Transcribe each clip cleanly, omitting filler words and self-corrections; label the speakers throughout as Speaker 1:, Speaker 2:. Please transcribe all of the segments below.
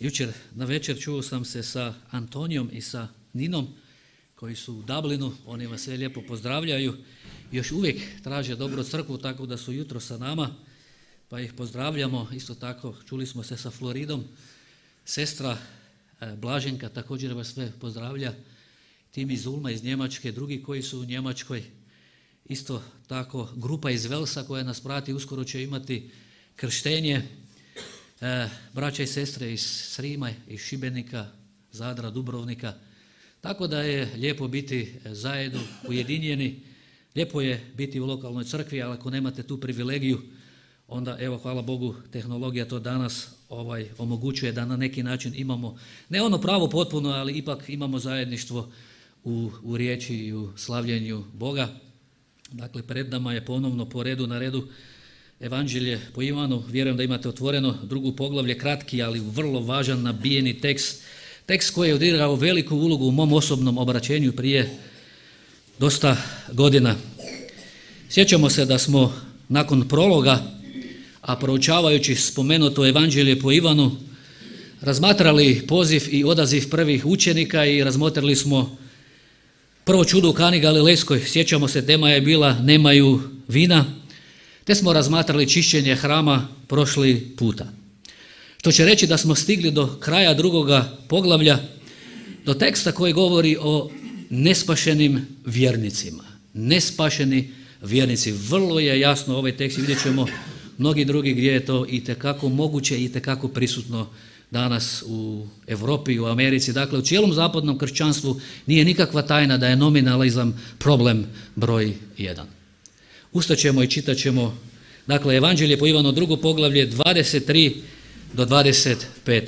Speaker 1: Jučer na večer čuo sam se sa Antonijom i sa Ninom koji su u Dublinu, oni vas sve lijepo pozdravljaju. Još uvijek traže dobru crkvu, tako da su jutro sa nama, pa ih pozdravljamo. Isto tako čuli smo se sa Floridom, sestra Blaženka također vas sve pozdravlja, tim iz Ulma iz Njemačke, drugi koji su u Njemačkoj. Isto tako grupa iz Velsa koja nas prati, uskoro će imati krštenje. Braća i sestre iz Srima, iz Šibenika, Zadra, Dubrovnika. Tako da je lijepo biti zajedno, ujedinjeni. Lijepo je biti u lokalnoj crkvi, ali ako nemate tu privilegiju, onda evo hvala Bogu tehnologija to danas omogućuje da na neki način imamo, ne ono pravo potpuno, ali ipak imamo zajedništvo u riječi i u slavljenju Boga. Dakle, pred nama je ponovno po redu na redu Evanđelje po Ivanu. Vjerujem da imate otvoreno drugo poglavlje, kratki, ali vrlo važan, nabijeni tekst. Tekst koji je odigrao veliku ulogu u mom osobnom obraćenju prije dosta godina. Sjećamo se da smo nakon prologa, a proučavajući spomenuto Evanđelje po Ivanu, razmatrali poziv i odaziv prvih učenika i razmotrili smo prvo čudo u Kani Galilejskoj. Sjećamo se, tema je bila nemaju vina, te smo razmatrali čišćenje hrama prošli puta. Što će reći da smo stigli do kraja drugoga poglavlja, do teksta koji govori o nespašenim vjernicima. Nespašeni vjernici. Vrlo je jasno ovaj tekst i vidjet ćemo mnogi drugi gdje je to itekako moguće i itekako prisutno danas u Europi i u Americi. Dakle, u cijelom zapadnom kršćanstvu nije nikakva tajna da je nominalizam problem broj 1. Ustaćemo i čitat ćemo, dakle, Evanđelje po Ivanu, drugo poglavlje, 23 do 25.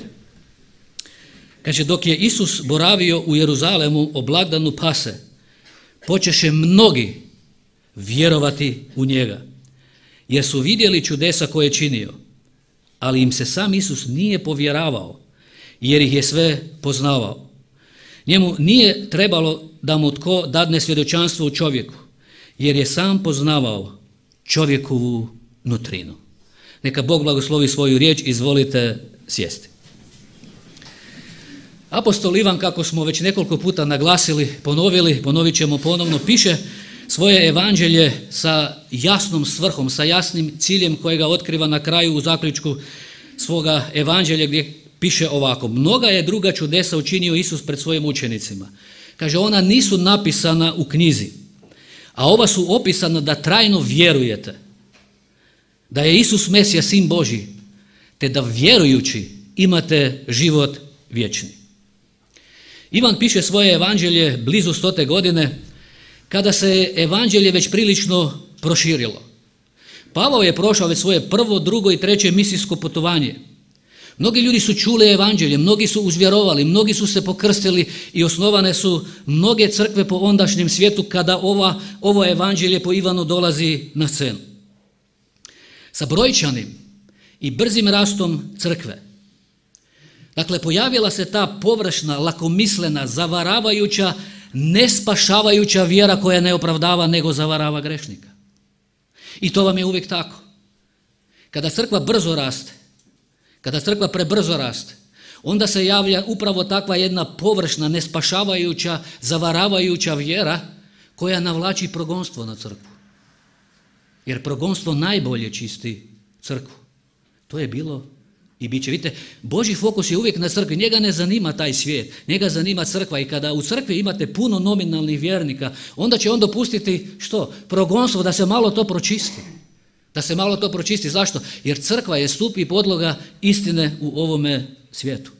Speaker 1: Kaže, dok je Isus boravio u Jeruzalemu o blagdanu Pase, počeše mnogi vjerovati u njega, jer su vidjeli čudesa koje je činio, ali im se sam Isus nije povjeravao, jer ih je sve poznavao. Njemu nije trebalo da mu tko dadne svjedočanstvo u čovjeku, jer je sam poznavao čovjekovu nutrinu. Neka Bog blagoslovi svoju riječ, izvolite sjesti. Apostol Ivan, kako smo već nekoliko puta naglasili, ponovit ćemo ponovno, piše svoje evanđelje sa jasnom svrhom, sa jasnim ciljem kojega otkriva na kraju u zaključku svoga evanđelja gdje piše ovako. Mnoga je druga čudesa učinio Isus pred svojim učenicima. Kaže, ona nisu napisana u knjizi, a ova su opisana da trajno vjerujete da je Isus Mesija, Sin Božji, te da vjerujući imate život vječni. Ivan piše svoje evanđelje blizu 100. godine, kada se je evanđelje već prilično proširilo. Pavao je prošao već svoje prvo, drugo i treće misijsko putovanje. Mnogi ljudi su čuli evanđelje, mnogi su uzvjerovali, mnogi su se pokrstili i osnovane su mnoge crkve po ondašnjem svijetu kada ovo evanđelje po Ivanu dolazi na scenu. Sa brojčanim i brzim rastom crkve, dakle, pojavila se ta površna, lakomislena, zavaravajuća, nespašavajuća vjera koja ne opravdava nego zavarava grešnika. I to vam je uvijek tako. Kada crkva brzo raste, kada crkva prebrzo raste, onda se javlja upravo takva jedna površna, nespašavajuća, zavaravajuća vjera koja navlači progonstvo na crkvu. Jer progonstvo najbolje čisti crkvu. To je bilo i bit će. Vidite, Božji fokus je uvijek na crkvi. Njega ne zanima taj svijet, njega zanima crkva. I kada u crkvi imate puno nominalnih vjernika, onda će on dopustiti što? Progonstvo, da se malo to pročisti. Da se malo to pročisti. Zašto? Jer crkva je stup i podloga istine u ovome svijetu.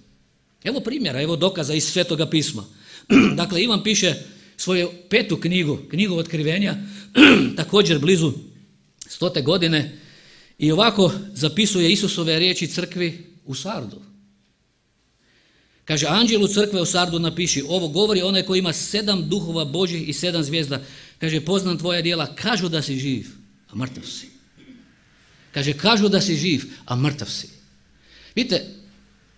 Speaker 1: Evo primjera, evo dokaza iz Svetoga pisma. Dakle, Ivan piše svoju 5. knjigu Otkrivenja, također blizu 100. godine, i ovako zapisuje Isusove riječi crkvi u Sardu. Kaže, anđelu crkve u Sardu napiši, ovo govori onaj koji ima 7 duhova Božjih i 7 zvijezda. Kaže, poznam tvoja djela, kažu da si živ, a mrtav si. Kaže, kažu da si živ, a mrtav si. Vidite,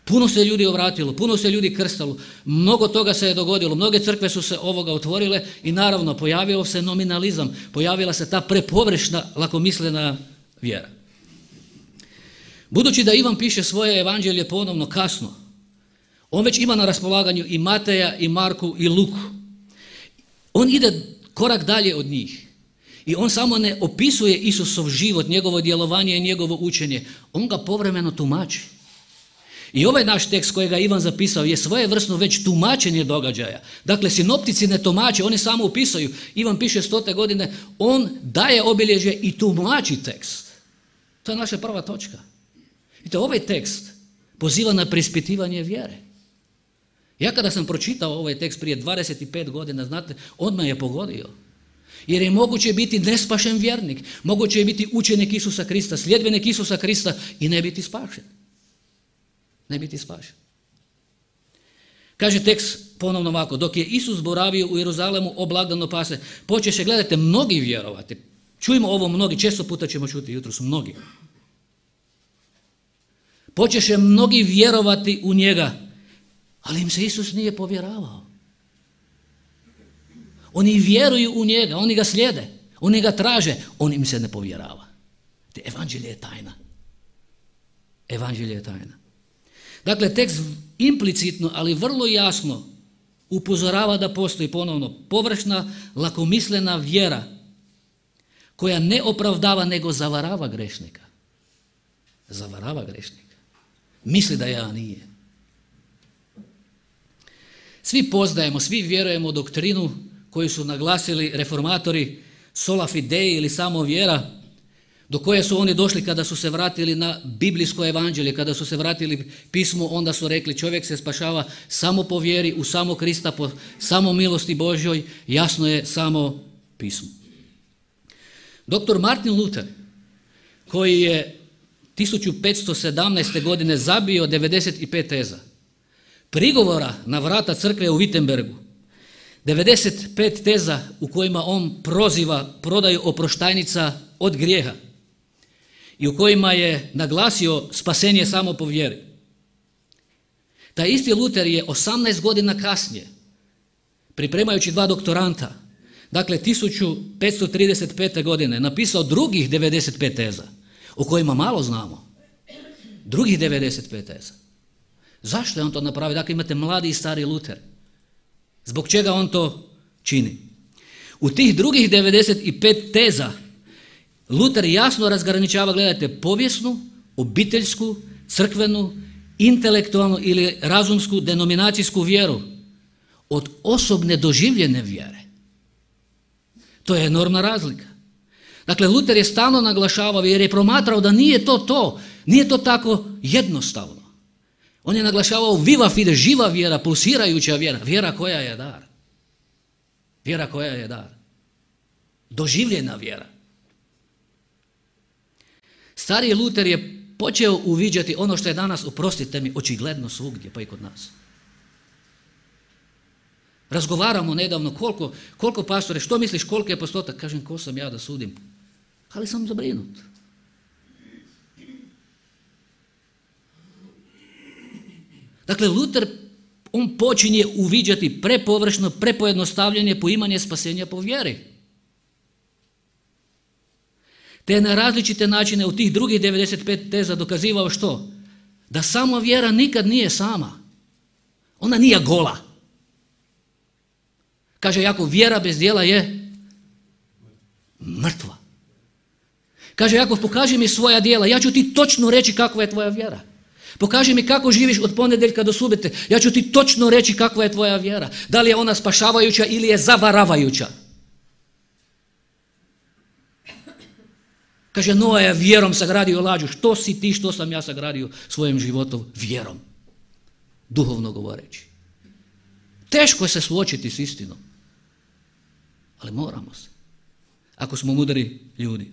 Speaker 1: puno se ljudi obratilo, puno se ljudi krstalo, mnogo toga se je dogodilo, mnoge crkve su se ovoga otvorile i naravno pojavio se nominalizam, pojavila se ta prepovršna, lakomislena vjera. Budući da Ivan piše svoje evanđelje ponovno kasno, On već ima na raspolaganju i Mateja, i Marku, i Luku. On ide korak dalje od njih. I on samo ne opisuje Isusov život, njegovo djelovanje i njegovo učenje. On ga povremeno tumači. I ovaj naš tekst kojega Ivan zapisao je svojevrsno već tumačenje događaja. Dakle, sinoptici ne tumače, oni samo upisuju. Ivan piše 100. godine, on daje obilježje i tumači tekst. To je naša prva točka. Vidite, ovaj tekst poziva na preispitivanje vjere. Ja kada sam pročitao ovaj tekst prije 25 godina, znate, odmah je pogodio. Jer je moguće biti nespašen vjernik, moguće je biti učenik Isusa Krista, sljedbenik Isusa Krista i ne biti spašen. Ne biti spašen. Kaže tekst ponovno ovako, dok je Isus boravio u Jeruzalemu o blagdanu Pase, počeše, gledajte, mnogi vjerovati. Čujmo ovo mnogi, često puta ćemo čuti jutros, mnogi. Počeše mnogi vjerovati u njega, ali im se Isus nije povjeravao. Oni vjeruju u njega, oni ga slijede, oni ga traže, on im se ne povjerava. Evanđelje je tajna. Evanđelje je tajna. Dakle, tekst implicitno, ali vrlo jasno upozorava da postoji ponovno površna, lakomislena vjera koja ne opravdava nego zavarava grešnika. Zavarava grešnika. Misli da ja nije. Svi poznajemo, svi vjerujemo u doktrinu koju su naglasili reformatori sola fide ili samo vjera, do koje su oni došli kada su se vratili na biblijsko evanđelje, kada su se vratili pismu, onda su rekli čovjek se spašava samo po vjeri, u samo Krista, po samo milosti Božjoj, jasno je samo pismo. Dr. Martin Luther, koji je 1517. godine zabio 95 teza, prigovora na vrata crkve u Wittenbergu, 95 teza u kojima on proziva prodaju oproštajnica od grijeha i u kojima je naglasio spasenje samo po vjeri. Taj isti Luter je 18 godina kasnije, pripremajući 2 doktoranta, dakle 1535. godine, napisao drugih 95 teza, o kojima malo znamo. Drugih 95 teza. Zašto je on to napravio? Dakle, imate mladi i stari Luter. Zbog čega on to čini? U tih drugih 95 teza Luter jasno razgraničava, gledajte, povijesnu, obiteljsku, crkvenu, intelektualnu ili razumsku denominacijsku vjeru od osobne doživljene vjere. To je enormna razlika. Dakle, Luter je stalno naglašavao jer je promatrao da nije to tako jednostavno. On je naglašavao viva fide, živa vjera, pulsirajuća vjera, vjera koja je dar. Vjera koja je dar. Doživljena vjera. Stariji Luter je počeo uviđati ono što je danas, oprostite mi, očigledno svugdje, pa i kod nas. Razgovaramo nedavno koliko pastore, što misliš, koliko je postotak? Kažem, ko sam ja da sudim? Ali sam zabrinut. Dakle, Luter, on počinje uviđati prepovršno, prepojednostavljanje, poimanje spasenja po vjeri. Te na različite načine u tih drugih 95 teza dokazivao što? Da samo vjera nikad nije sama. Ona nije gola. Kaže Jakov, vjera bez djela je mrtva. Kaže Jakov, pokaži mi svoja djela, ja ću ti točno reći kakva je tvoja vjera. Pokaži mi kako živiš od ponedjeljka do subote, ja ću ti točno reći kakva je tvoja vjera. Da li je ona spašavajuća ili je zavaravajuća. Kaže, Noa je vjerom sagradio lađu. Što si ti, što sam ja sagradio svojim životom? Vjerom. Duhovno govoreći. Teško je se suočiti s istinom. Ali moramo se. Ako smo mudri ljudi.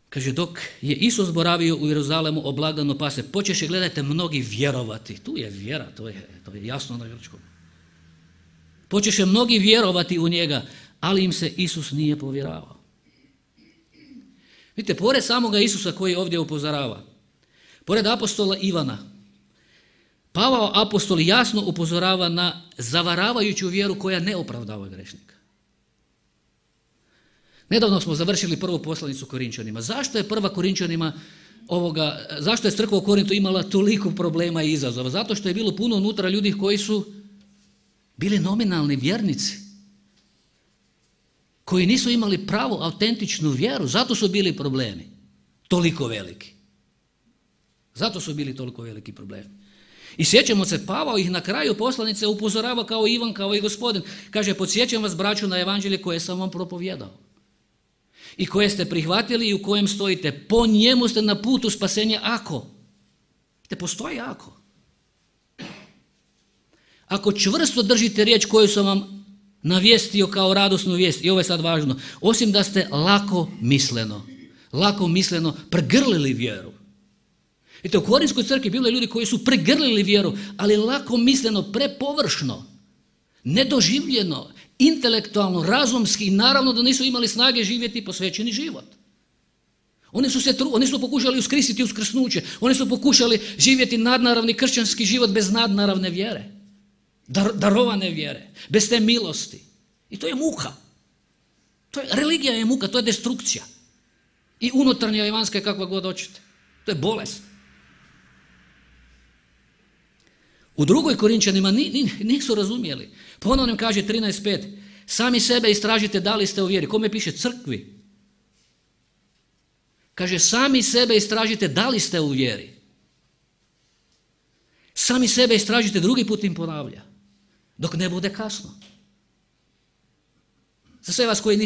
Speaker 1: Kaže, dok je Isus boravio u Jeruzalemu o blagdanu Pase, počeše, gledajte, mnogi vjerovati. Tu je vjera, to je jasno na grčkom. Počeše mnogi vjerovati u njega, ali im se Isus nije povjeravao. Vidite, pored samoga Isusa koji ovdje upozorava, pored apostola Ivana, Pavao apostol jasno upozorava na zavaravajuću vjeru koja ne opravdava grešnika. Nedavno smo završili prvu poslanicu Korinčanima. Zašto je prva Korinčanima zašto je crkva u Korintu imala toliko problema i izazova? Zato što je bilo puno unutra ljudi koji su bili nominalni vjernici, koji nisu imali pravu, autentičnu vjeru. Zato su bili problemi toliko veliki. Zato su bili toliko veliki problemi. I sjećamo se, Pavao ih na kraju poslanice upozorava kao Ivan, kao i Gospodin. Kaže, podsjećam vas, braćo, na evanđelje koje sam vam propovijedao i koje ste prihvatili i u kojem stojite. Po njemu ste na putu spasenja ako. Te postoji ako. Ako čvrsto držite riječ koju sam vam navijestio kao radosnu vijest, i ovo je sad važno, osim da ste lako misleno pregrlili vjeru. Vidite, u Korinskoj crkvi bilo je ljudi koji su pregrlili vjeru, ali lako misleno, prepovršno, nedoživljeno, intelektualno, razumski, i naravno da nisu imali snage živjeti posvećeni život. Oni su pokušali uskrsiti uskrsnuće, oni su pokušali živjeti nadnaravni kršćanski život bez nadnaravne vjere, darovane vjere, bez te milosti. I to je muka. Religija je muka, to je destrukcija. I unutarnja i vanjska je kakva god hoćete. To je bolest. U drugoj Korinčanima nisu razumjeli. Ponovno nam kaže 13.5. Sami sebe istražite da li ste u vjeri. Kome piše? Crkvi. Kaže, sami sebe istražite da li ste u vjeri. Sami sebe istražite, drugi put im ponavlja. Dok ne bude kasno. Za sve vas koji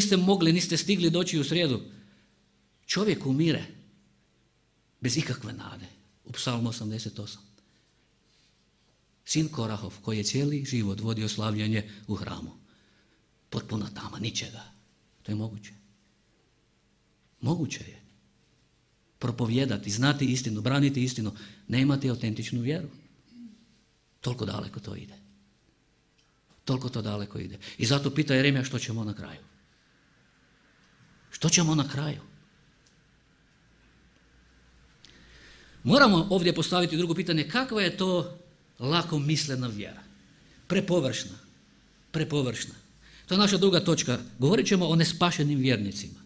Speaker 1: niste stigli doći u srijedu, čovjek umire bez ikakve nade. U Psalmu 88. Sin Korahov, koji je cijeli život vodio slavljenje u hramu. Potpuna tama, ničega. To je moguće. Moguće je. Propovijedati, znati istinu, braniti istinu, ne imati autentičnu vjeru. Toliko daleko to ide. Toliko to daleko ide. I zato pita Jeremija što ćemo na kraju. Što ćemo na kraju? Moramo ovdje postaviti drugo pitanje, kakva je to lako mislena vjera? Prepovršna. To je naša druga točka. Govorit ćemo o nespašenim vjernicima.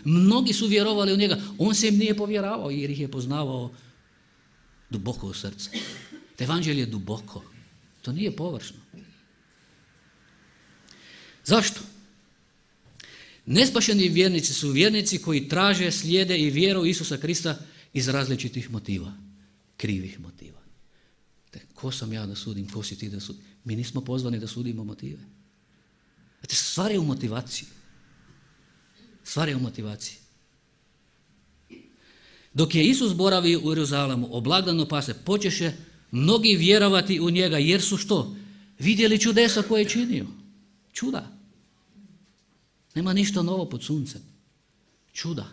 Speaker 1: Mnogi su vjerovali u njega, on se im nije povjeravao jer ih je poznavao duboko u srce. Evanđelje je duboko, to nije površno. Zašto? Nespašeni vjernici su vjernici koji traže, slijede i vjeru Isusa Krista iz različitih motiva, krivih motiva. Ko sam ja da sudim, ko si ti da sudim? Mi nismo pozvani da sudimo motive. Znate, stvar je u motivaciji. Dok je Isus boravio u Jeruzalemu, oblagdano pase, počeše mnogi vjerovati u njega, jer su što? Vidjeli čudesa koje je činio. Čuda. Nema ništa novo pod suncem. Čuda.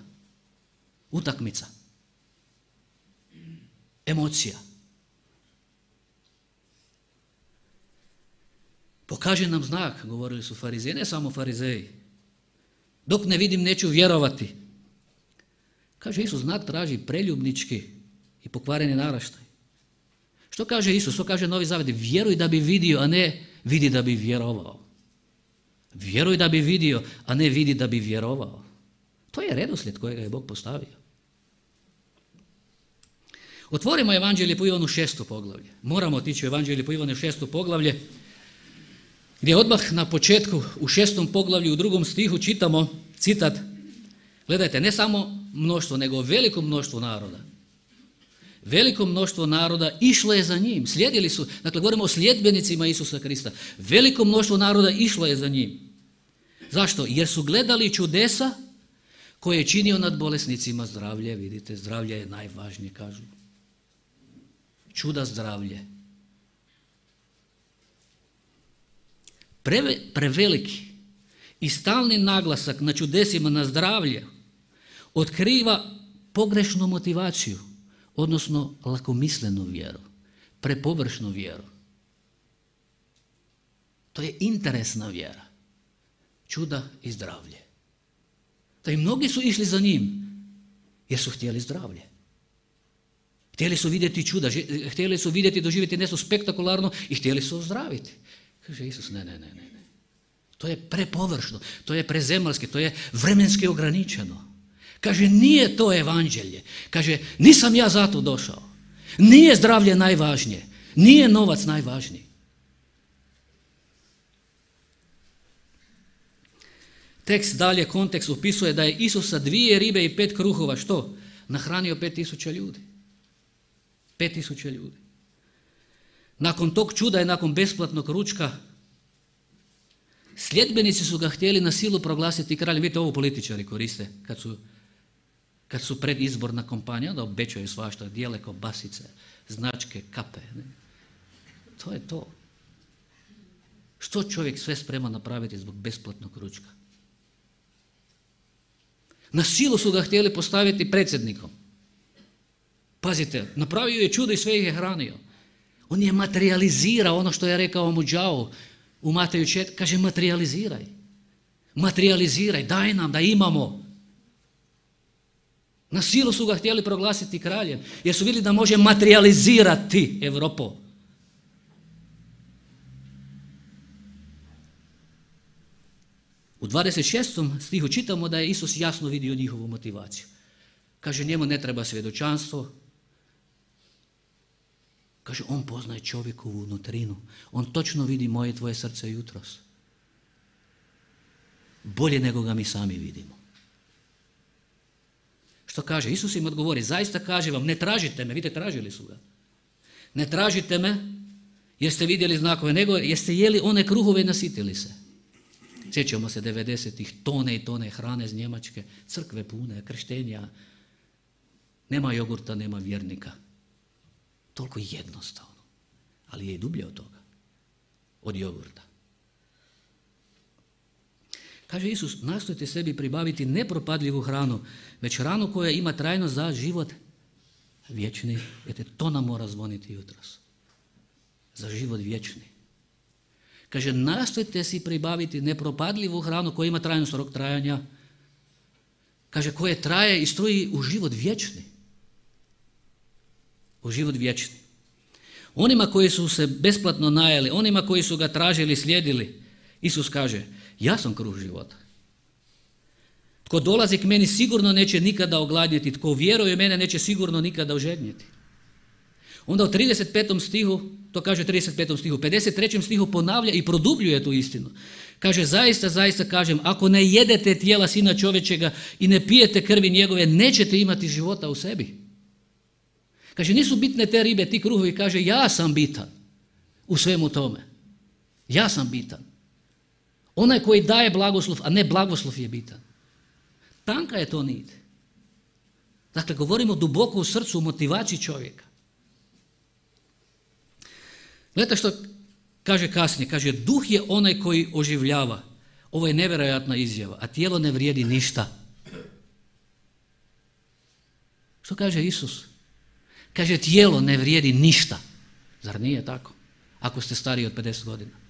Speaker 1: Utakmica. Emocija. Pokaži nam znak, govorili su farizeji, ne samo farizeji. Dok ne vidim, neću vjerovati. Kaže Isus, znak traži preljubnički i pokvareni naraštaj. Što kaže Isus? Što kaže Novi Zavjet? Vjeruj da bi vidio, a ne vidi da bi vjerovao. Vjeruj da bi vidio, a ne vidi da bi vjerovao. To je redoslijed kojega je Bog postavio. Otvorimo Evanđelje po Ivanu 6. poglavlje. Moramo otići u Evanđelje po Ivanu 6. poglavlje, gdje odmah na početku u 6. poglavlju u 2. stihu čitamo citat. Gledajte, ne samo mnoštvo, nego veliko mnoštvo naroda. Veliko mnoštvo naroda išlo je za njim, slijedili su, dakle govorimo o sljedbenicima Isusa Krista. Veliko mnoštvo naroda išlo je za njim. Zašto? Jer su gledali čudesa koje je činio nad bolesnicima. Zdravlje, vidite, zdravlje je najvažnije, kažu. Čuda zdravlje. Preveliki i stalni naglasak na čudesima, na zdravlje, otkriva pogrešnu motivaciju, odnosno lakomislenu vjeru, prepovršnu vjeru. To je interesna vjera. Čuda i zdravlje. Da i mnogi su išli za njim jer su htjeli zdravlje. Htjeli su vidjeti čuda, htjeli su vidjeti i doživjeti nešto spektakularno i htjeli su ozdraviti. Kaže Isus, ne. To je prepovršno, to je prezemaljski, to je vremenski ograničeno. Kaže, nije to evanđelje. Kaže, nisam ja zato došao. Nije zdravlje najvažnije. Nije novac najvažniji. Tekst dalje, kontekst opisuje da je Isus sa 2 ribe i 5 kruhova, što? Nahranio 5.000 ljudi. 5.000 ljudi. Nakon tog čuda i nakon besplatnog ručka, sljedbenici su ga htjeli na silu proglasiti kraljem. Vidite, ovo političari koriste kad su predizborna kampanja, onda obećaju svašta, dijele kobasice, značke, kape. Ne? To je to. Što čovjek sve spreman napraviti zbog besplatnog ručka? Na silu su ga htjeli postaviti predsjednikom. Pazite, napravio je čudo i sve ih je hranio. On je materializirao ono što je rekao Muđao u Mateju 4. Kaže, materializiraj. Materializiraj, daj nam da imamo. Na silu su ga htjeli proglasiti kraljem, jer su vidjeli da može materializirati Europu. U 26. stihu čitamo da je Isus jasno vidio njihovu motivaciju. Kaže, njemu ne treba svjedočanstvo. Kaže, on poznaje čovjekovu unutrinu. On točno vidi moje i tvoje srce jutros. Bolje nego ga mi sami vidimo. Što kaže? Isus im odgovori, zaista kaže vam, ne tražite me, vidite, tražili su ga. Ne tražite me jer ste vidjeli znakove, nego jer ste jeli one kruhove i nasitili se. Sjećamo se 90-ih, tone i tone hrane iz Njemačke, crkve pune, krštenja. Nema jogurta, nema vjernika. Toliko jednostavno, ali je i dublje od toga, od jogurta. Kaže Isus, nastojte sebi pribaviti nepropadljivu hranu, već hranu koja ima trajnost za život vječni. Jer to nam mora zvoniti jutros. Za život vječni. Kaže, nastojte si pribaviti nepropadljivu hranu koja ima trajnost, rok trajanja. Kaže, koje traje i stoji u život vječni. U život vječni. Onima koji su se besplatno najeli, onima koji su ga tražili, slijedili, Isus kaže, ja sam kruh života. Tko dolazi k meni sigurno neće nikada ogladnjeti, tko vjeruje u mene neće sigurno nikada ožednjeti. Onda u 35. stihu, to kaže u 35. stihu, 53. stihu ponavlja i produbljuje tu istinu. Kaže, zaista, zaista kažem, ako ne jedete tijela Sina čovječega i ne pijete krvi njegove, nećete imati života u sebi. Kaže, nisu bitne te ribe, ti kruhovi, kaže, ja sam bitan u svemu tome. Ja sam bitan. Onaj koji daje blagoslov, a ne blagoslov je bitan. Tanka je to nit. Dakle, govorimo duboko u srcu, u motivaciji čovjeka. Gledajte što kaže kasnije. Kaže, duh je onaj koji oživljava. Ovo je nevjerojatna izjava, a tijelo ne vrijedi ništa. Što kaže Isus? Kaže, tijelo ne vrijedi ništa. Zar nije tako? Ako ste stariji od 50 godina.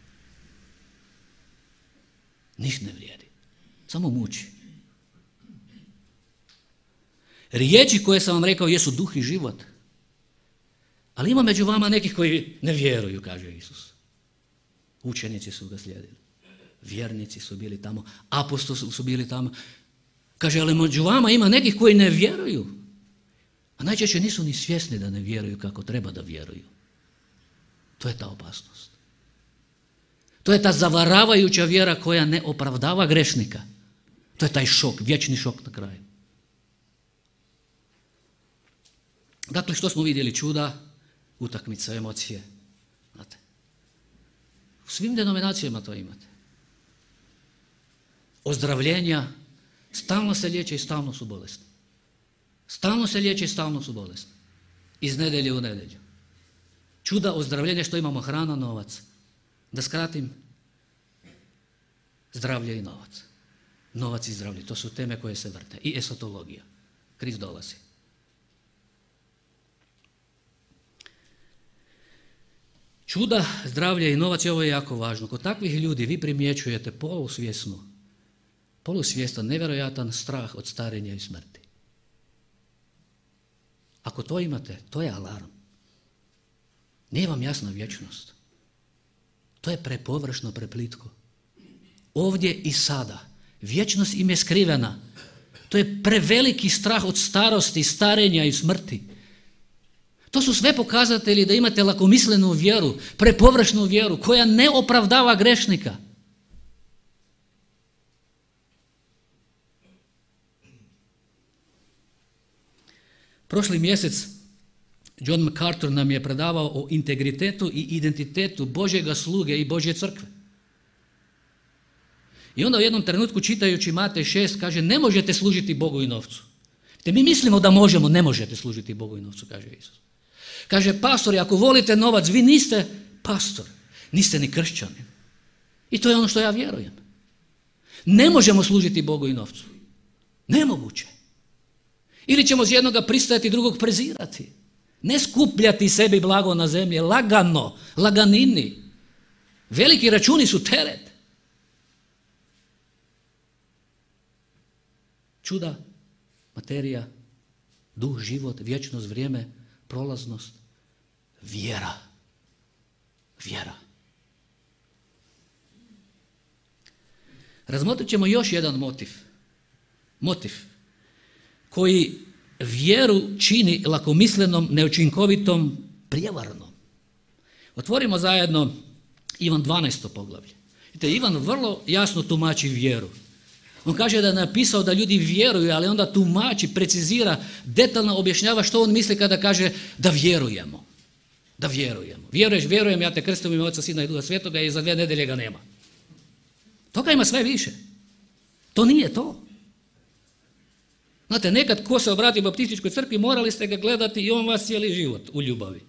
Speaker 1: Ništa ne vrijedi. Samo muči. Riječi koje sam vam rekao jesu duh i život. Ali ima među vama nekih koji ne vjeruju, kaže Isus. Učenici su ga slijedili. Vjernici su bili tamo. Apostoli su bili tamo. Kaže, ali među vama ima nekih koji ne vjeruju. A najčešće nisu ni svjesni da ne vjeruju kako treba da vjeruju. To je ta opasnost. To je ta zavaravajuća vjera koja ne opravdava grešnika. To je taj šok, vječni šok na kraju. Dakle, što smo vidjeli? Čuda, utakmica, emocije. Znate. U svim denominacijama to imate. Ozdravljenja, stalno se liječe i stalno su bolesni. Stalno se liječe i stalno su bolesni. Iz nedjelje u nedjelju. Čuda, ozdravljenja, što imamo? Hrana, novac. Da skratim, zdravlje i novac. Novac i zdravlje, to su teme koje se vrte. I esotologija. Kriz dolazi. Čuda, zdravlje i novac, i ovo je jako važno. Kod takvih ljudi vi primjećujete polusvjestan, nevjerojatan strah od starenja i smrti. Ako to imate, to je alarm. Nije vam jasna vječnost. To je prepovršno, preplitko. Ovdje i sada. Vječnost im je skrivena. To je preveliki strah od starosti, starenja i smrti. To su sve pokazatelji da imate lakomislenu vjeru, prepovršnu vjeru koja ne opravdava grešnika. Prošli mjesec John MacArthur nam je predavao o integritetu i identitetu Božjega sluge i Božje crkve. I onda u jednom trenutku čitajući Matej 6 kaže ne možete služiti Bogu i novcu. Te mi mislimo da možemo, ne možete služiti Bogu i novcu, kaže Isus. Kaže pastori, ako volite novac, vi niste pastor, niste ni kršćanin. I to je ono što ja vjerujem. Ne možemo služiti Bogu i novcu. Nemoguće. Ili ćemo s jednoga pristajati, drugog prezirati. Ne skupljati sebi blago na zemlji, lagano, laganini. Veliki računi su teret. Čuda, materija, duh, život, vječnost, vrijeme, prolaznost, vjera. Vjera. Razmotrit ćemo još jedan motiv koji vjeru čini lakomislenom, neučinkovitom, prijevarnom. Otvorimo zajedno Ivan 12. poglavlje. Vidite, Ivan vrlo jasno tumači vjeru. On kaže da je napisao da ljudi vjeruju, ali onda tumači, precizira, detaljno objašnjava što on misli kada kaže da vjerujemo. Da vjerujemo. Vjerujem, ja te krstim u ime Oca, Sina i Duha Svetoga i za 2 nedelje ga nema. Toga ima sve više. To nije to. Znate, nekad ko se obrati baptističkoj crkvi, morali ste ga gledati i on vas cijeli život u ljubavi.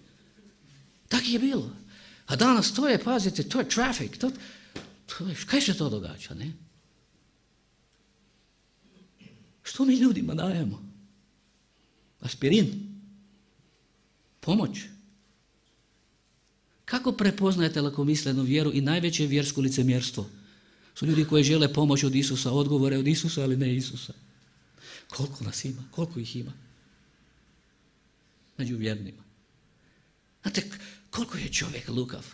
Speaker 1: Tako je bilo. A danas to je, pazite, to je traffic. Kaj se to događa, ne? Što mi ljudima dajemo? Aspirin? Pomoć? Kako prepoznajete lakomislenu vjeru i najveće vjersko licemjerstvo? Su ljudi koji žele pomoć od Isusa, odgovore od Isusa, ali ne Isusa. Koliko nas ima? Koliko ih ima? Među vjernima. Znate, koliko je čovjek lukav?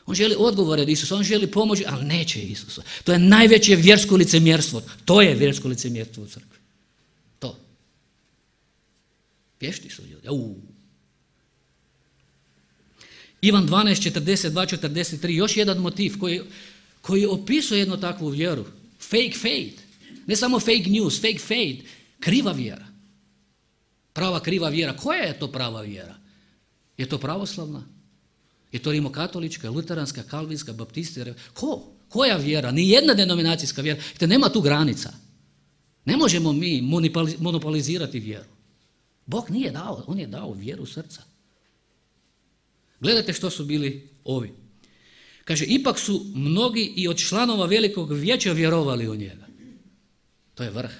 Speaker 1: On želi odgovore od Isusa, on želi pomoći, ali neće Isusa. To je najveće vjersko licemjerstvo. To je vjersko licemjerstvo u crkvi. To. Vješti su ljudi. Ivan 12, 42, 43, još jedan motiv koji opisuje jednu takvu vjeru. Fake faith. Ne samo fake news, fake faith. Kriva vjera. Prava kriva vjera. Koja je to prava vjera? Je to pravoslavna? Je to rimokatolička, luteranska, kalvinska, baptista? Koja vjera? Nijedna denominacijska vjera. Te nema tu granica. Ne možemo mi monopolizirati vjeru. Bog nije dao, on je dao vjeru srca. Gledajte što su bili ovi. Kaže, ipak su mnogi i od članova velikog vijeća vjerovali u njega. To je vrh.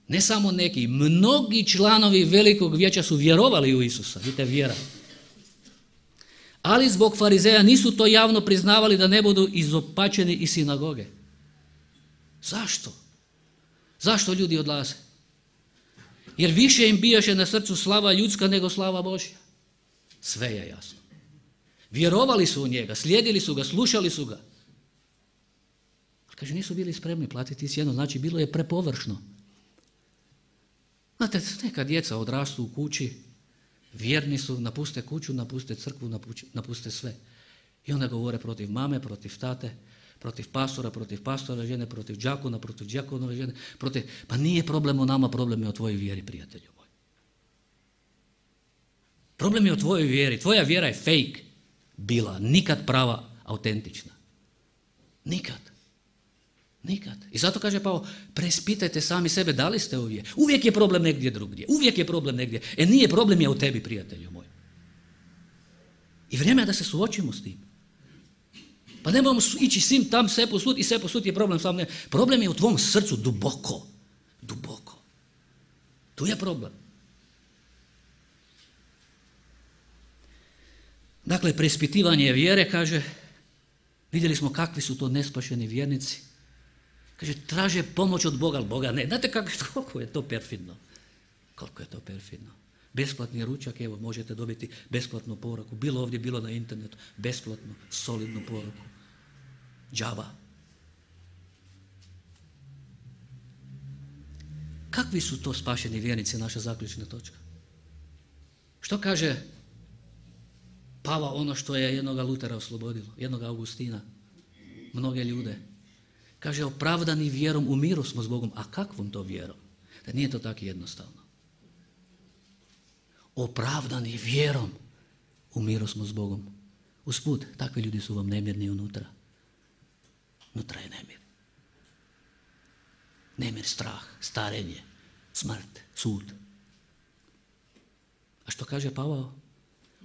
Speaker 1: Ne samo neki, mnogi članovi velikog vijeća su vjerovali u Isusa. Vidite, vjera. Ali zbog farizeja nisu to javno priznavali da ne budu izopačeni iz sinagoge. Zašto? Zašto ljudi odlaze? Jer više im bijaše na srcu slava ljudska nego slava Božja. Sve je jasno. Vjerovali su u njega, slijedili su ga, slušali su ga. Ali kaže, nisu bili spremni platiti cijenu, znači bilo je prepovršno. Znate, neka djeca odrastu u kući, vjerni su, napuste kuću, napuste crkvu, napuste sve. I onda govore protiv mame, protiv tate, protiv pastora žene, protiv đakonove žene, pa nije problem o nama, problem je o tvojoj vjeri, prijatelju moj. Problem je o tvojoj vjeri, tvoja vjera je fake bila, nikad prava, autentična. Nikad. I zato kaže Pavao, preispitajte sami sebe, da li ste u vjeri. Uvijek je problem negdje drugdje, nije problem je u tebi, prijatelju moj. I vrijeme je da se suočimo s tim. Pa ne moramo ići svim tam sve posud i sve posud je problem sam ne. Problem je u tvom srcu duboko. Tu je problem. Dakle, preispitivanje vjere, kaže, vidjeli smo kakvi su to nespašeni vjernici. Kaže, traže pomoć od Boga, ali Boga ne. Znate koliko je to perfidno? Besplatni ručak, evo, možete dobiti besplatnu poruku. Bilo ovdje, bilo na internetu. Besplatnu, solidnu poruku. Džaba. Kakvi su to spašeni vjernici, naša zaključna točka? Što kaže Pavao ono što je jednoga Lutera oslobodilo, jednoga Augustina, mnoge ljude? Kaže, opravdani vjerom u miru smo s Bogom. A kakvom to vjerom? Da nije to tako jednostavno. Opravdani vjerom u miru smo s Bogom. Usput, takvi ljudi su vam nemirni unutra. Unutra je nemir. Nemir, strah, starenje, smrt, sud. A što kaže Pavao?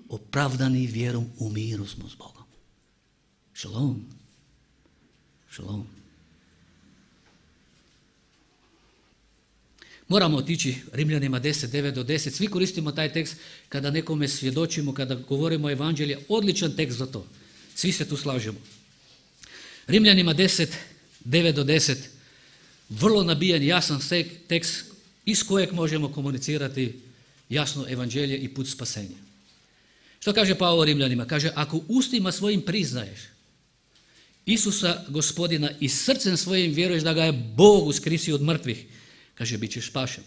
Speaker 1: Opravdani vjerom u miru smo s Bogom. Šalom. Šalom. Moramo otići Rimljanima 10, 9 do 10. Svi koristimo taj tekst kada nekome svjedočimo, kada govorimo o evanđelju. Odličan tekst za to. Svi se tu slažemo. Rimljanima 10, 9 do 10. Vrlo nabijan, jasan tekst iz kojeg možemo komunicirati jasno evanđelje i put spasenja. Što kaže Pavao Rimljanima? Kaže, ako ustima svojim priznaješ Isusa Gospodina i srcem svojim vjeruješ da ga je Bog uskrsio od mrtvih, kaže, bit ćeš spašen.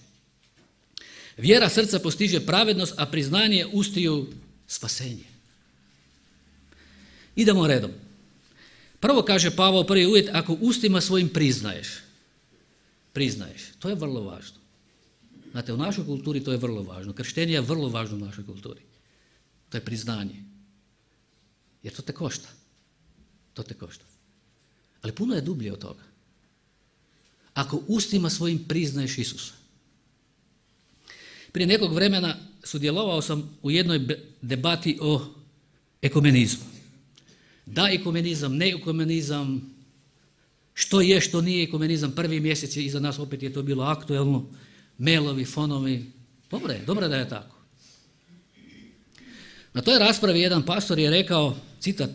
Speaker 1: Vjera srca postiže pravednost, a priznanje ustiju spasenje. Idemo redom. Prvo kaže Pavao, prvi uvjet, ako ustima svojim priznaješ. Priznaješ. To je vrlo važno. Znate, u našoj kulturi to je vrlo važno. Krštenje je vrlo važno u našoj kulturi. To je priznanje. Jer to te košta. To te košta. Ali puno je dublje od toga. Ako ustima svojim priznaješ Isusa. Prije nekog vremena sudjelovao sam u jednoj debati o ekumenizmu. Da ekumenizam, ne ekumenizam, što je, što nije ekumenizam. Prvi mjesec je iza nas, opet je to bilo aktuelno. Mailovi, fonovi. Dobro je da je tako. Na toj raspravi jedan pastor je rekao, citat,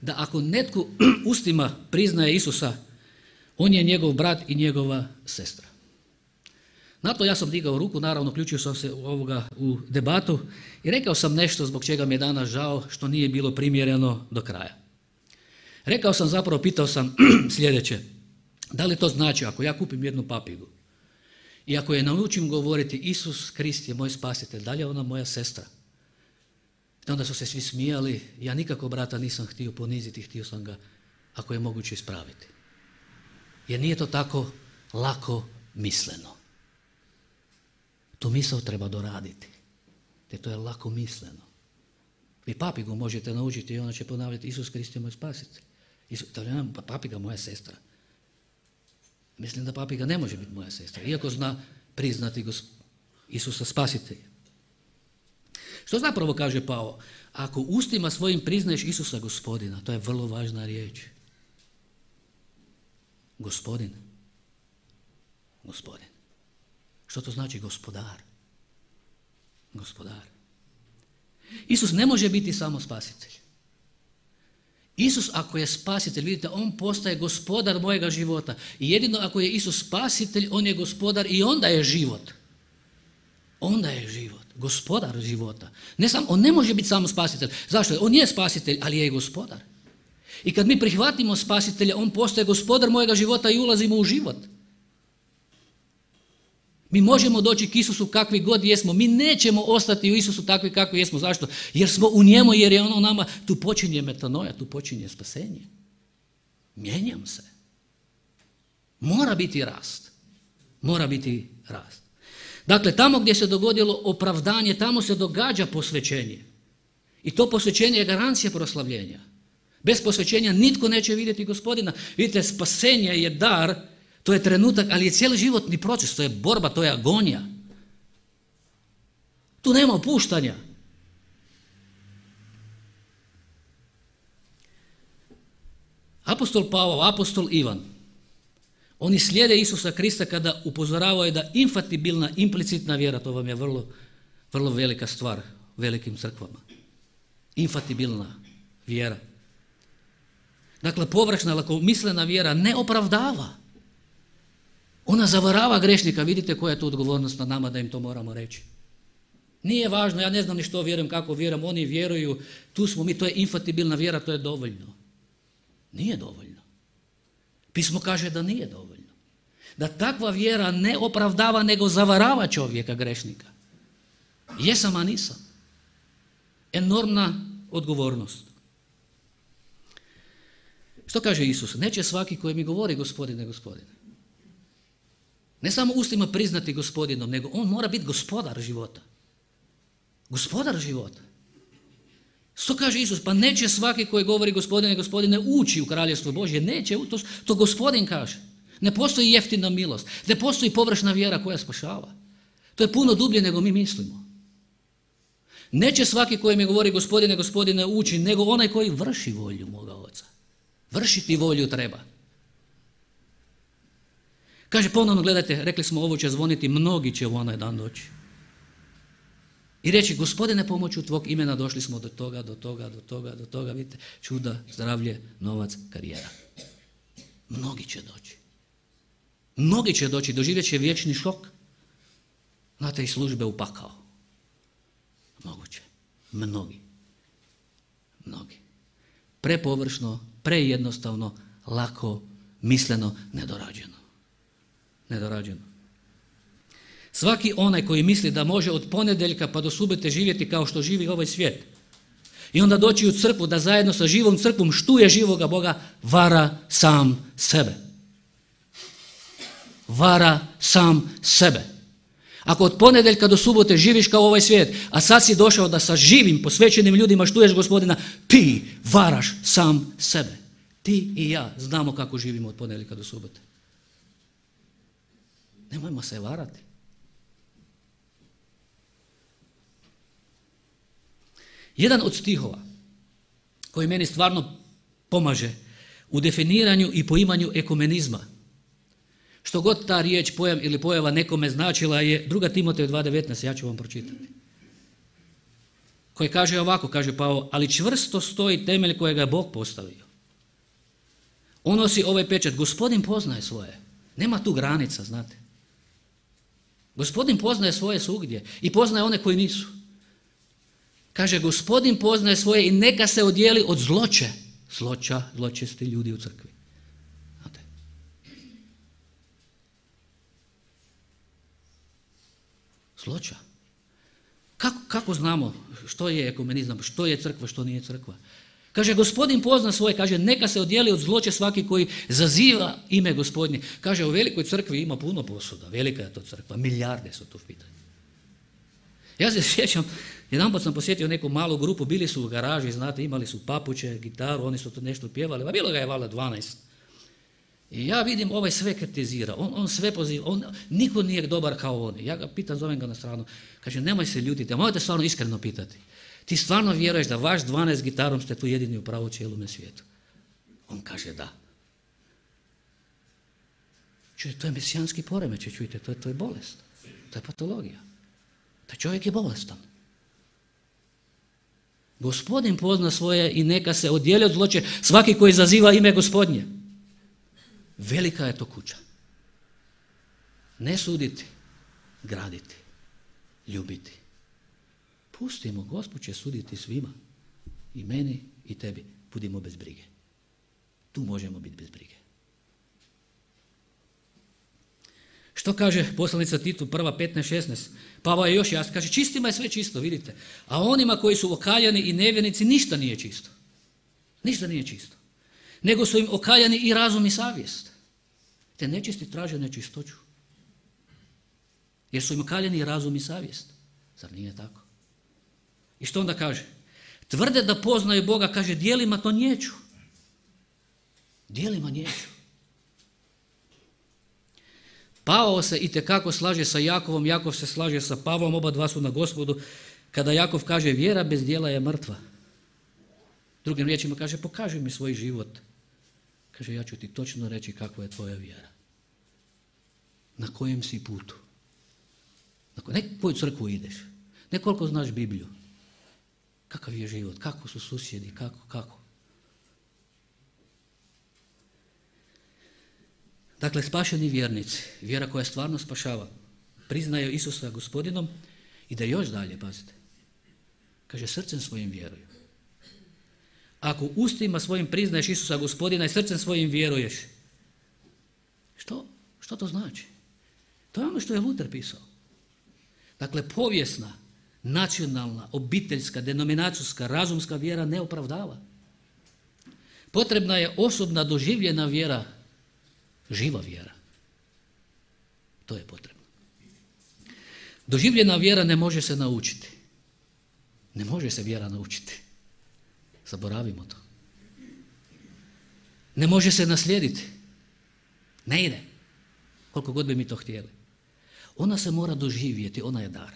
Speaker 1: da ako netko ustima priznaje Isusa, on je njegov brat i njegova sestra. Na to ja sam digao ruku, naravno uključio sam se u debatu i rekao sam nešto zbog čega mi je danas žao što nije bilo primjereno do kraja. Rekao sam zapravo, pitao sam sljedeće, da li to znači ako ja kupim jednu papigu i ako je naučim govoriti Isus Krist je moj spasitelj, da li je ona moja sestra? I onda su se svi smijali, ja nikako brata nisam htio poniziti, htio sam ga ako je moguće ispraviti. Jer nije to tako lako misleno. Tu misao treba doraditi. Te to je lako misleno. Vi papigu možete naučiti i ona će ponavljati Isus Krist je moj spasitelj. Papiga moja sestra. Mislim da papiga ne može biti moja sestra, iako zna priznati Isusa spasitelja. Što zapravo kaže Pavao? Ako ustima svojim priznaješ Isusa Gospodina, to je vrlo važna riječ. Gospodin. Gospodin. Što to znači gospodar? Gospodar. Isus ne može biti samo spasitelj. Isus ako je spasitelj, vidite, on postaje gospodar mojega života. I jedino ako je Isus spasitelj, on je gospodar i onda je život. Onda je život. Gospodar života. On ne može biti samo spasitelj. Zašto? On je spasitelj, ali je i gospodar. I kad mi prihvatimo spasitelja, on postaje gospodar mojega života i ulazimo u život. Mi možemo doći k Isusu kakvi god jesmo. Mi nećemo ostati u Isusu takvi kakvi jesmo. Zašto? Jer smo u njemu, jer je ono u nama. Tu počinje metanoja, tu počinje spasenje. Mijenjam se. Mora biti rast. Mora biti rast. Dakle, tamo gdje se dogodilo opravdanje, tamo se događa posvećenje. I to posvećenje je garancija proslavljenja. Bez posvećenja nitko neće vidjeti Gospodina. Vidite, spasenje je dar, to je trenutak, ali je cijeli životni proces, to je borba, to je agonija. Tu nema opuštanja. Apostol Pavao, apostol Ivan, oni slijede Isusa Krista kada upozoravaju da infatibilna, implicitna vjera, to vam je vrlo, vrlo velika stvar u velikim crkvama. Infatibilna vjera. Dakle, površna, lakomislena vjera ne opravdava. Ona zavarava grešnika. Vidite koja je tu odgovornost na nama da im to moramo reći. Nije važno, ja ne znam ni što vjerujem, kako vjerujem, oni vjeruju, tu smo mi, to je infatibilna vjera, to je dovoljno. Nije dovoljno. Pismo kaže da nije dovoljno. da takva vjera ne opravdava nego zavarava čovjeka grešnika. Jesam, a nisam. Enormna odgovornost. Što kaže Isus? Neće svaki koji mi govori Gospodine, Gospodine. Ne samo ustima priznati Gospodinom, nego on mora biti gospodar života. Gospodar života. Što kaže Isus? Pa neće svaki koji govori Gospodine, Gospodine ući u Kraljevstvo Božje. Neće, to Gospodin kaže. Ne postoji jeftina milost. Ne postoji površna vjera koja spašava. To je puno dublje nego mi mislimo. Neće svaki koji mi govori Gospodine, Gospodine ući, nego onaj koji vrši volju moga Oca. Vršiti volju treba. Kaže ponovno, gledajte, rekli smo ovo će zvoniti, mnogi će u onaj dan doći. I reći, Gospodine, pomoću tvog imena došli smo do toga, do toga, do toga, do toga, vidite, čuda, zdravlje, novac, karijera. Mnogi će doći. Mnogi će doći, doživjet će vječni šok. Znate, i službe u pakao. Moguće. Mnogi. Prepovršno, prejednostavno, lako, misleno, nedorađeno. Svaki onaj koji misli da može od ponedjeljka pa do subote živjeti kao što živi ovaj svijet i onda doći u crkvu da zajedno sa živom crkvom štuje živoga Boga, vara sam sebe. Vara sam sebe. Ako od ponedjeljka do subote živiš kao ovaj svijet, a sad si došao da sa živim, posvećenim ljudima štuješ Gospodina, ti varaš sam sebe. Ti i ja znamo kako živimo od ponedjeljka do subote. Nemojmo se varati. Jedan od stihova koji meni stvarno pomaže u definiranju i poimanju ekumenizma, što god ta riječ, pojam ili pojava nekome značila, je 2. Timoteju 2.19, ja ću vam pročitati. Koji kaže ovako, kaže Pavao, ali čvrsto stoji temelj kojega je Bog postavio. On nosi ovaj pečat, Gospodin poznaje svoje. Nema tu granica, znate. Gospodin poznaje svoje svugdje i poznaje one koji nisu. Kaže, Gospodin poznaje svoje i neka se odijeli od zloće. Zločesti ljudi u crkvi. Znate. Zloća. Kako znamo što je ekumenizam, što je crkva, što nije crkva? Kaže, Gospodin pozna svoje, kaže, neka se odijeli od zloće svaki koji zaziva ime Gospodnje. Kaže, u velikoj crkvi ima puno posuda, velika je to crkva, milijarde su tu u pitanju. Ja se sjećam, jedanput sam posjetio neku malu grupu, bili su u garaži, znate, imali su papuče, gitaru, oni su to nešto pjevali, a bilo ga je valjda 12. I ja vidim, ovaj sve kritizira, on sve poziva, niko nije dobar kao on. Ja ga pitam, zovem ga na stranu, kaže, nemoj se ljutiti, a možete stvarno iskreno pitati. Ti stvarno vjeruješ da vaš 12 gitarom ste tu jedini u pravu cijelome svijetu? On kaže da. Čujte, to je mesijanski poremećaj, čujte, to je bolest, to je patologija. Taj čovjek je bolestan. Gospodin pozna svoje i neka se odijeli od zloće svaki koji zaziva ime Gospodnje. Velika je to kuća. Ne suditi, graditi, ljubiti. Pustimo, Gospod će suditi svima. I meni i tebi. Budimo bez brige. Tu možemo biti bez brige. Što kaže poslanica Titu 1.15.16? Pavao je još jasno. Kaže, čistima je sve čisto, vidite. A onima koji su okaljani i nevjernici ništa nije čisto. Ništa nije čisto. Nego su im okaljani i razum i savjest. Te nečisti traže nečistoću. Jer su im okaljani i razum i savjest. Zar nije tako? I što onda kaže? Tvrde da poznaju Boga, kaže, djelima to niječu. Djelima niječu. Pavao se itekako slaže sa Jakovom, Jakov se slaže sa Pavlom, oba dva su na Gospodu, kada Jakov kaže, vjera bez djela je mrtva. Drugim riječima kaže, pokaži mi svoj život. Kaže, ja ću ti točno reći kakva je tvoja vjera. Na kojem si putu. Ne koju crkvu ideš. Ne koliko znaš Bibliju. Kakav je život, kako su susjedi, kako. Dakle, spašeni vjernici, vjera koja stvarno spašava, priznaju Isusa Gospodinom i da još dalje, pazite, kaže, srcem svojim vjeruju. Ako ustima svojim priznaješ Isusa Gospodina i srcem svojim vjeruješ, što Što to znači? To je ono što je Luther pisao. Dakle, povijesna, nacionalna, obiteljska, denominacijska, razumska vjera ne opravdava. Potrebna je osobna doživljena vjera, živa vjera. To je potrebno. Doživljena vjera ne može se naučiti. Ne može se vjera naučiti. Zaboravimo to. Ne može se naslijediti. Ne ide. Koliko god bi mi to htjeli. Ona se mora doživjeti, ona je dar.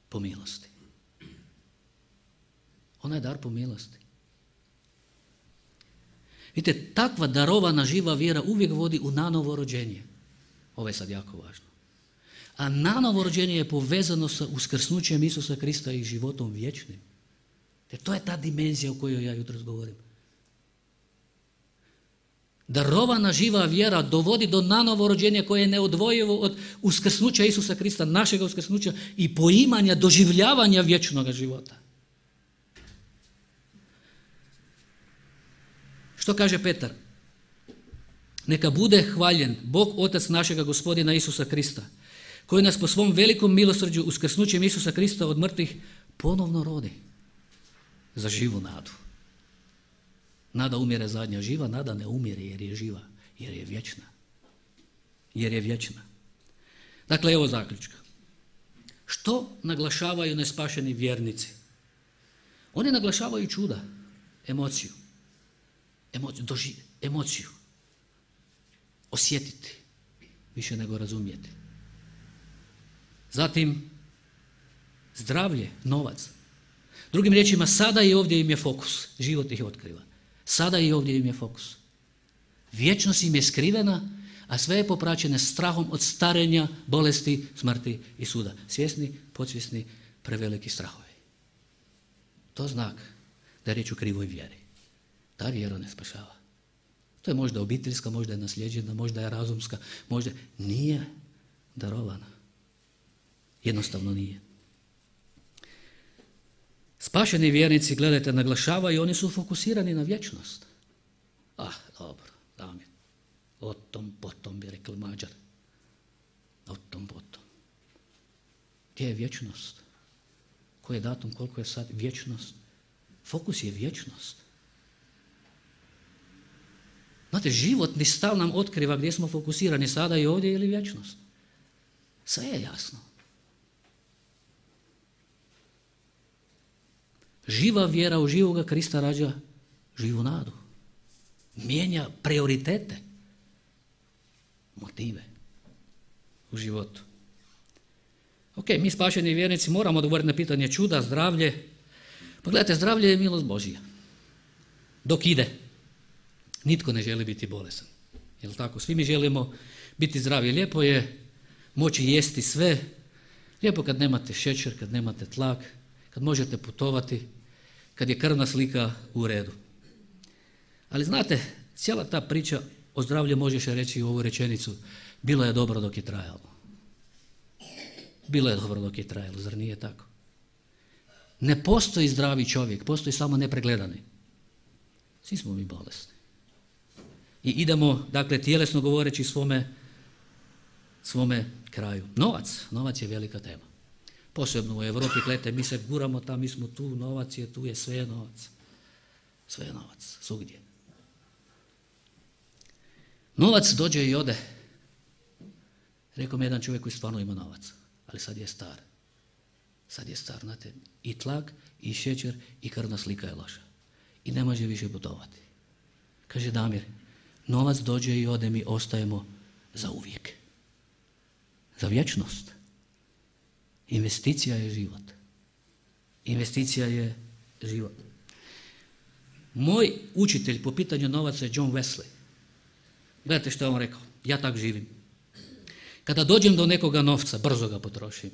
Speaker 1: Po milosti. Ona je dar po milosti. Vidite, takva darovana živa vjera uvijek vodi u nanovo rođenje. Ovo je sad jako važno. A nanovo rođenje je povezano sa uskrsnućem Isusa Krista i životom vječnim. Jer to je ta dimenzija o kojoj ja jutros govorim. Darovana živa vjera dovodi do nanovo rođenja koje je neodvojivo od uskrsnuća Isusa Krista, našega uskrsnuća i poimanja, doživljavanja vječnog života. Što kaže Petar? Neka bude hvaljen Bog Otac našega Gospodina Isusa Krista, koji nas po svom velikom milosrđu uskrsnućem Isusa Krista od mrtvih ponovno rodi za živu nadu. Nada umire zadnja, živa nada ne umire jer je živa, jer je vječna. Jer je vječna. Dakle, evo zaključka. Što naglašavaju nespašeni vjernici? Oni naglašavaju čuda, emociju. Emociju. Osjetiti, više nego razumjeti. Zatim, zdravlje, novac. Drugim riječima, sada i ovdje im je fokus. Život ih otkriva. Sada i ovdje im je fokus. Vječnost im je skrivena, a sve je popraćene strahom od starenja, bolesti, smrti i suda. Svjesni, podsvjesni, preveliki strahovi. To znak da je riječ o krivoj vjeri. Ta vjera ne spašava. To je možda obiteljska, možda je nasljeđena, možda je razumska, možda nije darovana. Jednostavno nije. Spašeni vjernici, gledajte, naglašavaju, oni su fokusirani na vječnost. Dobro, Damir. O tom potom bi rekli Mađar. O tom potom. Gdje je vječnost? Koji je datum, koliko je sad vječnost? Fokus je vječnost. Znate, životni stav nam otkriva gdje smo fokusirani, sada i ovdje ili vječnost. Sve je jasno. Živa vjera u živoga Krista rađa živu nadu. Mijenja prioritete, motive u životu. Ok, mi spašeni vjernici moramo odgovoriti na pitanje čuda, zdravlje. Pa gledajte, zdravlje je milost Božja. Dok ide. Nitko ne želi biti bolesan. Jel' tako? Svi mi želimo biti zdravi. Lijepo je moći jesti sve. Lijepo kad nemate šećer, kad nemate tlak, kad možete putovati, kad je krvna slika u redu. Ali znate, cijela ta priča o zdravlju možeš reći u ovu rečenicu. Bilo je dobro dok je trajalo. Bilo je dobro dok je trajalo, zar nije tako? Ne postoji zdravi čovjek, postoji samo nepregledani. Svi smo mi bolesni. I idemo, dakle, tjelesno govoreći svome kraju. Novac je velika tema. Posebno u Europi, gledajte, mi se guramo tam, mi smo tu, novac je tu, sve je novac. Sve je novac, svugdje. Novac dođe i ode. Rekao mi jedan čovjek koji stvarno ima novac, ali sad je star. Sad je star, znate, i tlak, i šećer, i krvna slika je loša. I ne može više putovati. Kaže Damir, novac dođe i ode, mi ostajemo za uvijek. Za vječnost. Investicija je život. Investicija je život. Moj učitelj po pitanju novaca je John Wesley. Gledajte što je on rekao. Ja tak živim. Kada dođem do nekoga novca, brzo ga potrošim.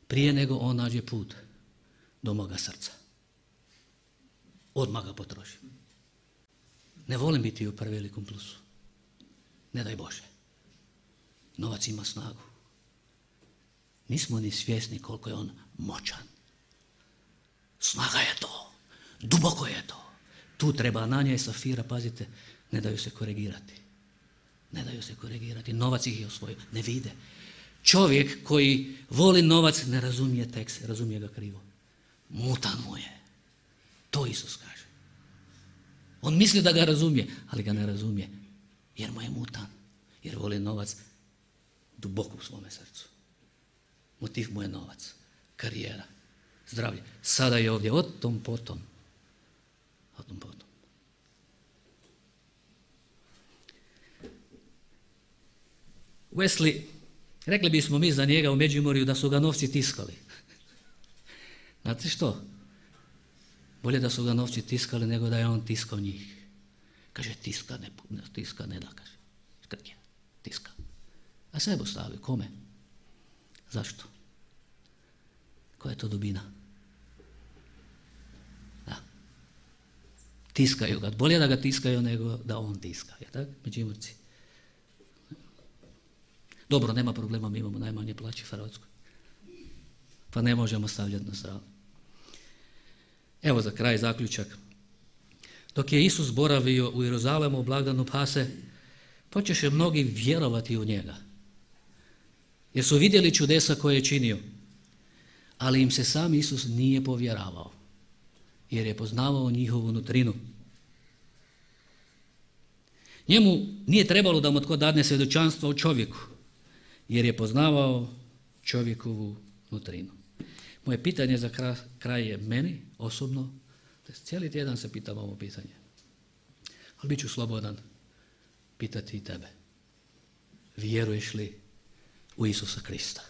Speaker 1: Prije nego on nađe put do moga srca. Odmah ga potrošim. Ne volim biti u prevelikom plusu. Ne daj Bože. Novac ima snagu. Nismo ni svjesni koliko je on moćan. Snaga je to. Duboko je to. Tu treba Ananija i Safira, pazite, ne daju se korigirati. Ne daju se korigirati. Novac ih je osvojio. Ne vide. Čovjek koji voli novac ne razumije tekst, razumije ga krivo. Mutan mu je. To Isus kaže. On misli da ga razumije, ali ga ne razumije. Jer mu je mutan. Jer voli novac duboko u svome srcu. Motiv mu je novac, karijera, zdravlje. Sada je ovdje, o tom potom. O tom potom. Wesley, rekli bismo mi za njega u Međimurju da su ga novci tiskali. Znate što? Bolje da su ga novci tiskali nego da je on tiskao njih. Kaže, tiska ne da, kaže. Škrtje, tiska. A sebe ostavi, kome? Zašto? Koja je to dubina? Da. Tiskaju ga. Bolje da ga tiskaju nego da on tiska. Je tako? Međimurci. Dobro, nema problema, mi imamo najmanje plaće u Hrvatskoj. Pa ne možemo stavljati na stranu. Evo za kraj zaključak. Dok je Isus boravio u Jeruzalemu u blagdanu Pase, počeše mnogi vjerovati u njega. Jer su vidjeli čudesa koje je činio. Ali im se sam Isus nije povjeravao. Jer je poznavao njihovu nutrinu. Njemu nije trebalo da mu tko dadne svjedočanstvo o čovjeku. Jer je poznavao čovjekovu nutrinu. Moje pitanje za kraj je meni osobno, cijeli tjedan se pitam ovo pitanje, ali bit ću slobodan pitati i tebe. Vjeruješ li u Isusa Krista?